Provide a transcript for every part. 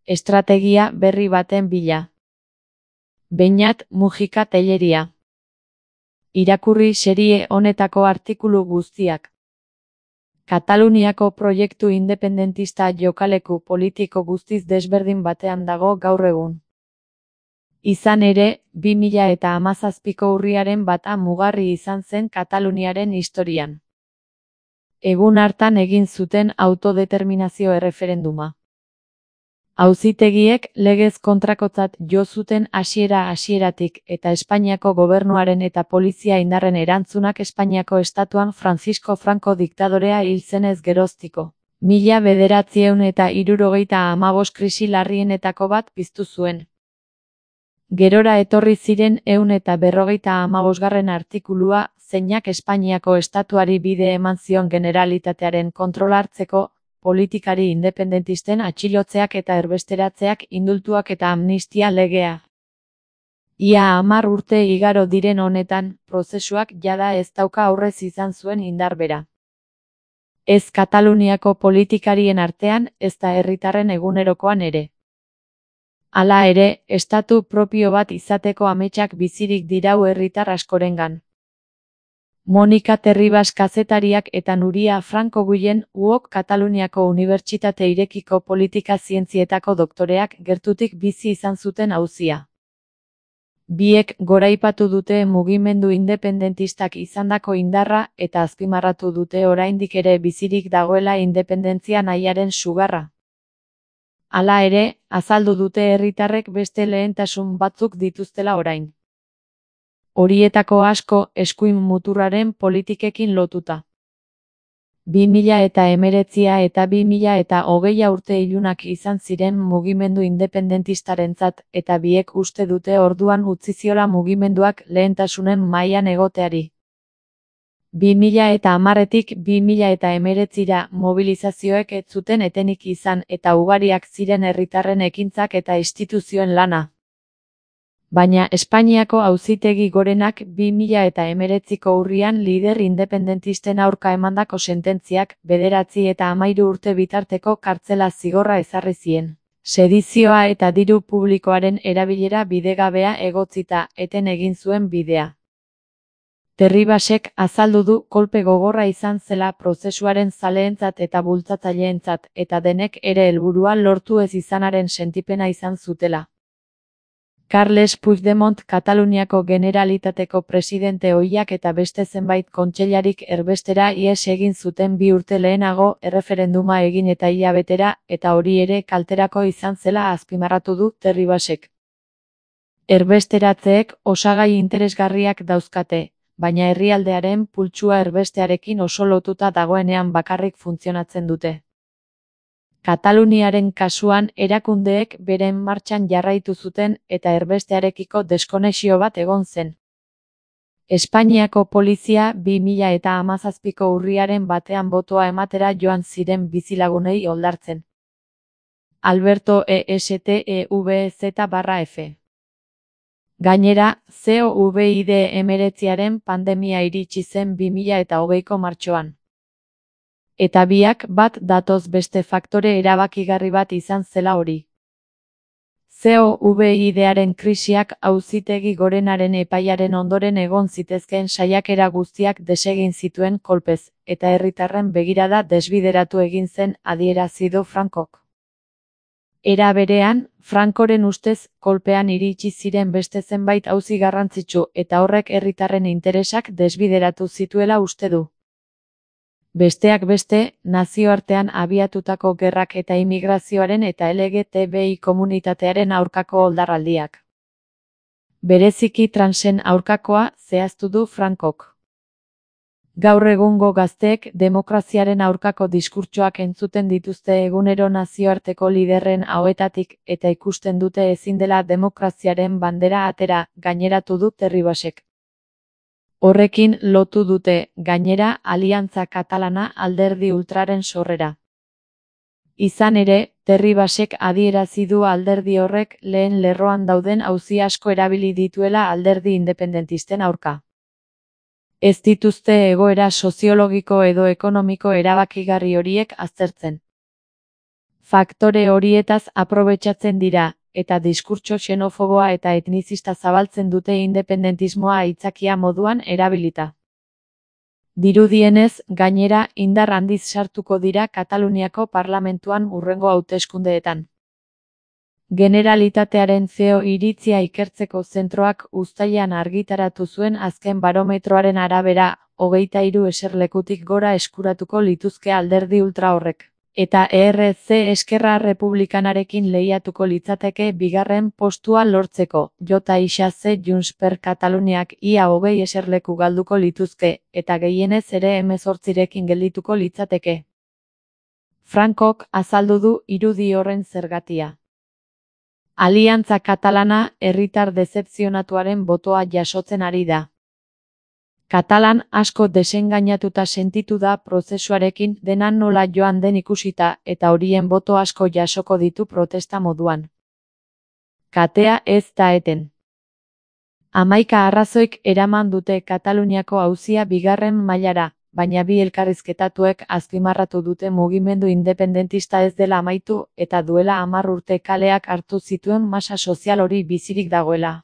Estrategia berri baten bila. Beñat Mujika Telleria. Irakurri serie honetako artikulu guztiak. Kataluniako proiektu independentista jokaleku politiko guztiz desberdin batean dago gaur egun. Izan ere, 2017ko urriaren bata mugarri izan zen Kataluniaren historian. Egun hartan egin zuten autodeterminazio erreferenduma. Auzitegiek legez kontrakotzat jo zuten hasieratik eta Espainiako gobernuaren eta polizia indarren erantzunak Espainiako estatuan Francisco Franco diktadorea hil zenez geroztiko. 1975 krisi larrienetako bat piztu zuen. Gerora etorri ziren 155. artikulua, zeinak Espainiako estatuari bide eman zion Generalitatearen kontrola hartzeko, politikari independentisten atxilotzeak eta erbesteratzeak, indultuak eta amnistia legea. Ia 10 urte igaro diren honetan, prozesuak jada ez dauka aurrez izan zuen indar bera. Ez Kataluniako politikarien artean, ezta herritarren egunerokoan ere. Hala ere, estatu propio bat izateko ametsak bizirik dirau herritar askorengan. Monika Terribas kazetariak eta Nuria Franco Guillen uok Kataluniako Unibertsitate Irekiko Politika Zientzietako doktoreak gertutik bizi izan zuten auzia. Biek goraipatu dute mugimendu independentistak izandako indarra eta azpimarratu dute oraindik ere bizirik dagoela independentzia nahiaren sugarra. Hala ere, azaldu dute herritarrek beste lehentasun batzuk dituztela orain. Horietako asko eskuin muturraren politikekin lotuta. 2019 eta 2020 urte ilunak izan ziren mugimendu independentistarentzat eta biek uste dute orduan utzi ziola mugimenduak lehentasunen mailan egoteari. 2010tik 2019ra mobilizazioek ez zuten etenik izan eta ugariak ziren herritarren ekintzak eta instituzioen lana. Baina Espainiako Auzitegi Gorenak 2019ko urrian lider independentisten aurka emandako sententziak 9 eta 13 urte bitarteko kartzela zigorra ezarri zien. Sedizioa eta diru publikoaren erabilera bidegabea egotzita eten egin zuen bidea. Terribasek azaldu du kolpe gogorra izan zela prozesuaren zaleentzat eta bultzatzaileentzat eta denek ere helburua lortu ez izanaren sentipena izan zutela. Carles Puigdemont Kataluniako Generalitateko presidente ohiak eta beste zenbait kontseilarik erbestera ihes egin zuten 2 urte lehenago erreferenduma egin eta hilabetera eta hori ere kalterako izan zela azpimarratu du Terribasek. Erbesteratzeek osagai interesgarriak dauzkate, baina herrialdearen pultsua erbestearekin oso lotuta dagoenean bakarrik funtzionatzen dute. Kataluniaren kasuan erakundeek beren martxan jarraitu zuten eta erbestearekiko deskonexio bat egon zen. Espainiako polizia 2017ko urriaren batean botoa ematera joan ziren bizilagunei oldartzen. Alberto ESTEVZ/F. Gainera, COVID-19 pandemia iritsi zen 2020ko martxoan. Eta biak bat datoz beste faktore erabakigarri bat izan zela hori. COVID-aren krisiak Auzitegi Gorenaren epaiaren ondoren egon zitezkeen saiakera guztiak desegin zituen kolpez, eta herritarren begirada desbideratu egin zen adierazi du Francok. Era berean, Francoren ustez, kolpean iritsi ziren beste zenbait auzi garrantzitsu eta horrek herritarren interesak desbideratu zituela uste du. Besteak beste, nazioartean abiatutako gerrak eta immigrazioaren eta LGTBI komunitatearen aurkako oldarraldiak. Bereziki transen aurkakoa zehaztu du Francok. Gaur egungo gazteek demokraziaren aurkako diskurtsoak entzuten dituzte egunero nazioarteko liderren ahoetatik eta ikusten dute ezin dela demokraziaren bandera atera, gaineratu du Terribasek. Horrekin lotu dute, gainera, Aliantza Katalana alderdi ultraren sorrera. Izan ere, Terribasek adierazi du alderdi horrek lehen lerroan dauden auzi asko erabili dituela alderdi independentisten aurka. Ez dituzte egoera soziologiko edo ekonomiko erabakigarri horiek aztertzen. Faktore horietaz aprobetxatzen dira, eta diskurtso xenofoboa eta etnizista zabaltzen dute independentismoa aitzakia moduan erabilita. Dirudienez, gainera, indar handiz sartuko dira Kataluniako parlamentuan hurrengo hauteskundeetan. Generalitatearen CEO iritzia ikertzeko zentroak uztailean argitaratu zuen azken barometroaren arabera, 23 eserlekutik gora eskuratuko lituzke alderdi ultra horrek. Eta ERC Eskerra Republikanarekin lehiatuko litzateke bigarren postua lortzeko. JXC Junts per Kataluniak ia 20 eserleku galduko lituzke, eta gehienez ere 18rekin geldituko litzateke. Francok azaldu du irudi horren zergatia. Aliantza Katalana herritar dezepzionatuaren botoa jasotzen ari da. Katalan asko desengainatuta sentitu da prozesuarekin dena nola joan den ikusita eta horien boto asko jasoko ditu protesta moduan. Katea ez da eten. 11 arrazoik eraman dute Kataluniako auzia bigarren mailara, baina bi elkarrizketatuek azpimarratu dute mugimendu independentista ez dela amaitu eta duela 10 urte kaleak hartu zituen masa sozial hori bizirik dagoela.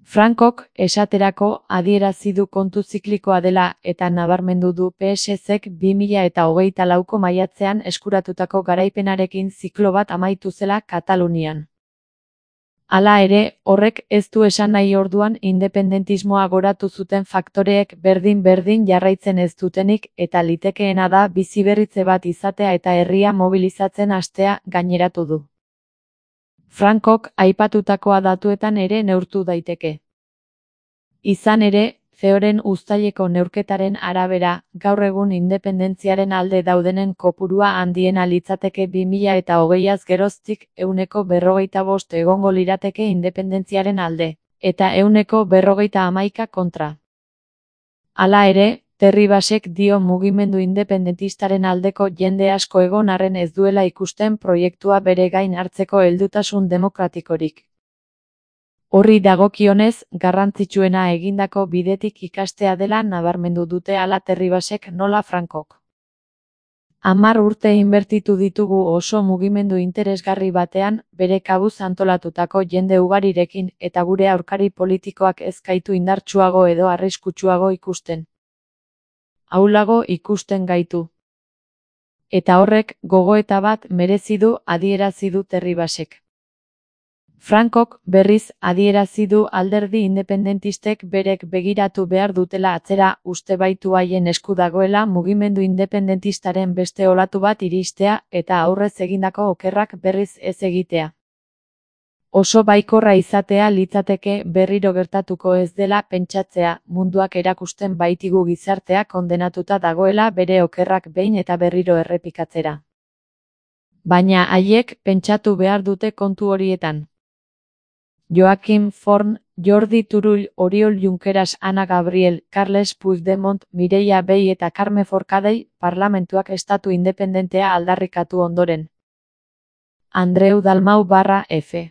Francok, esaterako, adierazi du kontu ziklikoa dela eta nabarmendu du PSZ-ek 2024ko maiatzean eskuratutako garaipenarekin ziklo bat amaitu zela Katalunian. Hala ere, horrek ez du esan nahi orduan independentismoa goratu zuten faktoreek berdin-berdin jarraitzen ez dutenik eta litekeena da biziberritze bat izatea eta herria mobilizatzen hastea gaineratu du. Francok aipatutakoa datuetan ere neurtu daiteke. Izan ere, CEOren uztaileko neurketaren arabera, gaur egun independentziaren alde daudenen kopurua handiena litzateke 2020az geroztik 45% egongo lirateke independentziaren alde, eta 41% kontra. Hala ere, Terribasek dio mugimendu independentistaren aldeko jende asko egon arren ez duela ikusten proiektua bere gain hartzeko heldutasun demokratikorik. Horri dagokionez, garrantzitsuena egindako bidetik ikastea dela nabarmendu dute hala Terribasek nola Francok. 10 urte inbertitu ditugu oso mugimendu interesgarri batean, bere kabuz antolatutako jende ugarirekin eta gure aurkari politikoak ez gaitu indartsuago edo arriskutsuago ikusten. Ahulago ikusten gaitu. Eta horrek gogoeta bat merezi du adierazi du Terribasek. Francok, berriz, adierazi du alderdi independentistek berek begiratu behar dutela atzera uste baitu haien esku dagoela mugimendu independentistaren beste olatu bat iristea eta aurrez egindako okerrak berriz ez egitea. Oso baikorra izatea litzateke berriro gertatuko ez dela pentsatzea munduak erakusten baitigu gizartea kondenatuta dagoela bere okerrak behin eta berriro errepikatzera. Baina haiek pentsatu behar dute kontu horietan. Joaquim Forn, Jordi Turull, Oriol Junqueras, Ana Gabriel, Carles Puigdemont, Mireia Vehí eta Carme Forcadell parlamentuak estatu independentea aldarrikatu ondoren. Andreu Dalmau /F.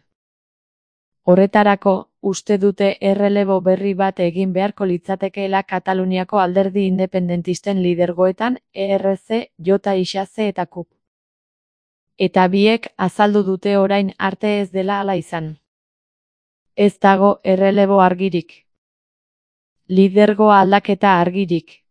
Horretarako, uste dute errelebo berri bat egin beharko litzatekeela Kataluniako alderdi independentisten lidergoetan ERC, JXC eta KUP. Eta biek azaldu dute orain arte ez dela hala izan. Ez dago errelebo argirik. Lidergo aldaketa argirik.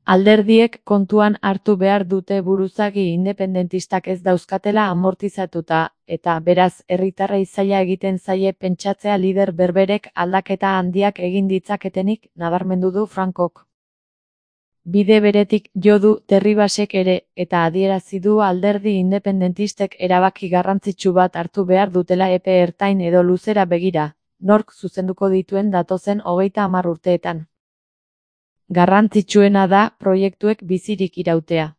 Alderdiek kontuan hartu behar dute buruzagi independentistak ez dauzkatela amortizatuta, eta beraz herritarrei zaila egiten zaie pentsatzea lider berberek aldaketa handiak egin ditzaketenik nabarmendu du Francok. Bide beretik jo du Terribasek ere, eta adierazi du alderdi independentistek erabaki garrantzitsu bat hartu behar dutela epe ertain edo luzera begira, nork zuzenduko dituen datozen 30 urteetan. Garrantzitsuena da proiektuek bizirik irautea.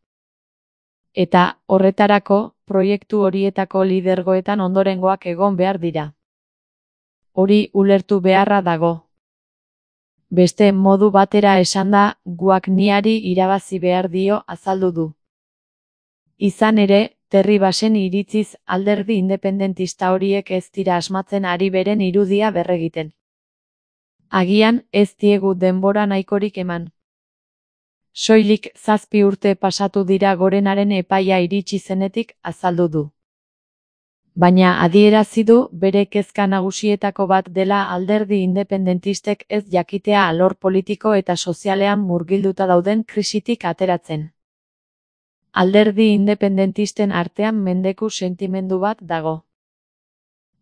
Eta, horretarako, proiektu horietako lidergoetan ondorengoak egon behar dira. Hori ulertu beharra dago. Beste modu batera esanda, guak niari irabazi behar dio azaldu du. Izan ere, Terribasen iritziz alderdi independentista horiek ez dira asmatzen ari beren irudia berregiten. Agian ez diegu denbora nahikorik eman. Soilik 7 urte pasatu dira Gorenaren epaia iritsi zenetik, azaldu du. Baina adierazi du bere kezka nagusietako bat dela alderdi independentistek ez jakitea alor politiko eta sozialean murgilduta dauden krisitik ateratzen. Alderdi independentisten artean mendeku sentimendu bat dago.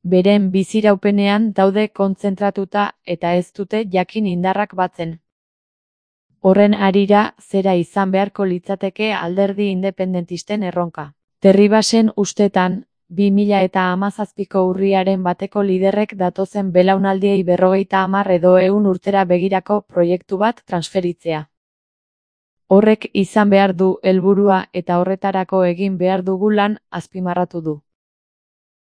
Beren biziraupenean daude kontzentratuta eta ez dute jakin indarrak batzen. Horren harira, zera izan beharko litzateke alderdi independentisten erronka. Terribasen ustetan, 2017ko urriaren bateko liderrek datozen belaunaldiei 50 edo 100 urtera begirako proiektu bat transferitzea. Horrek izan behar du helburua eta horretarako egin behar dugu lan, azpimarratu du.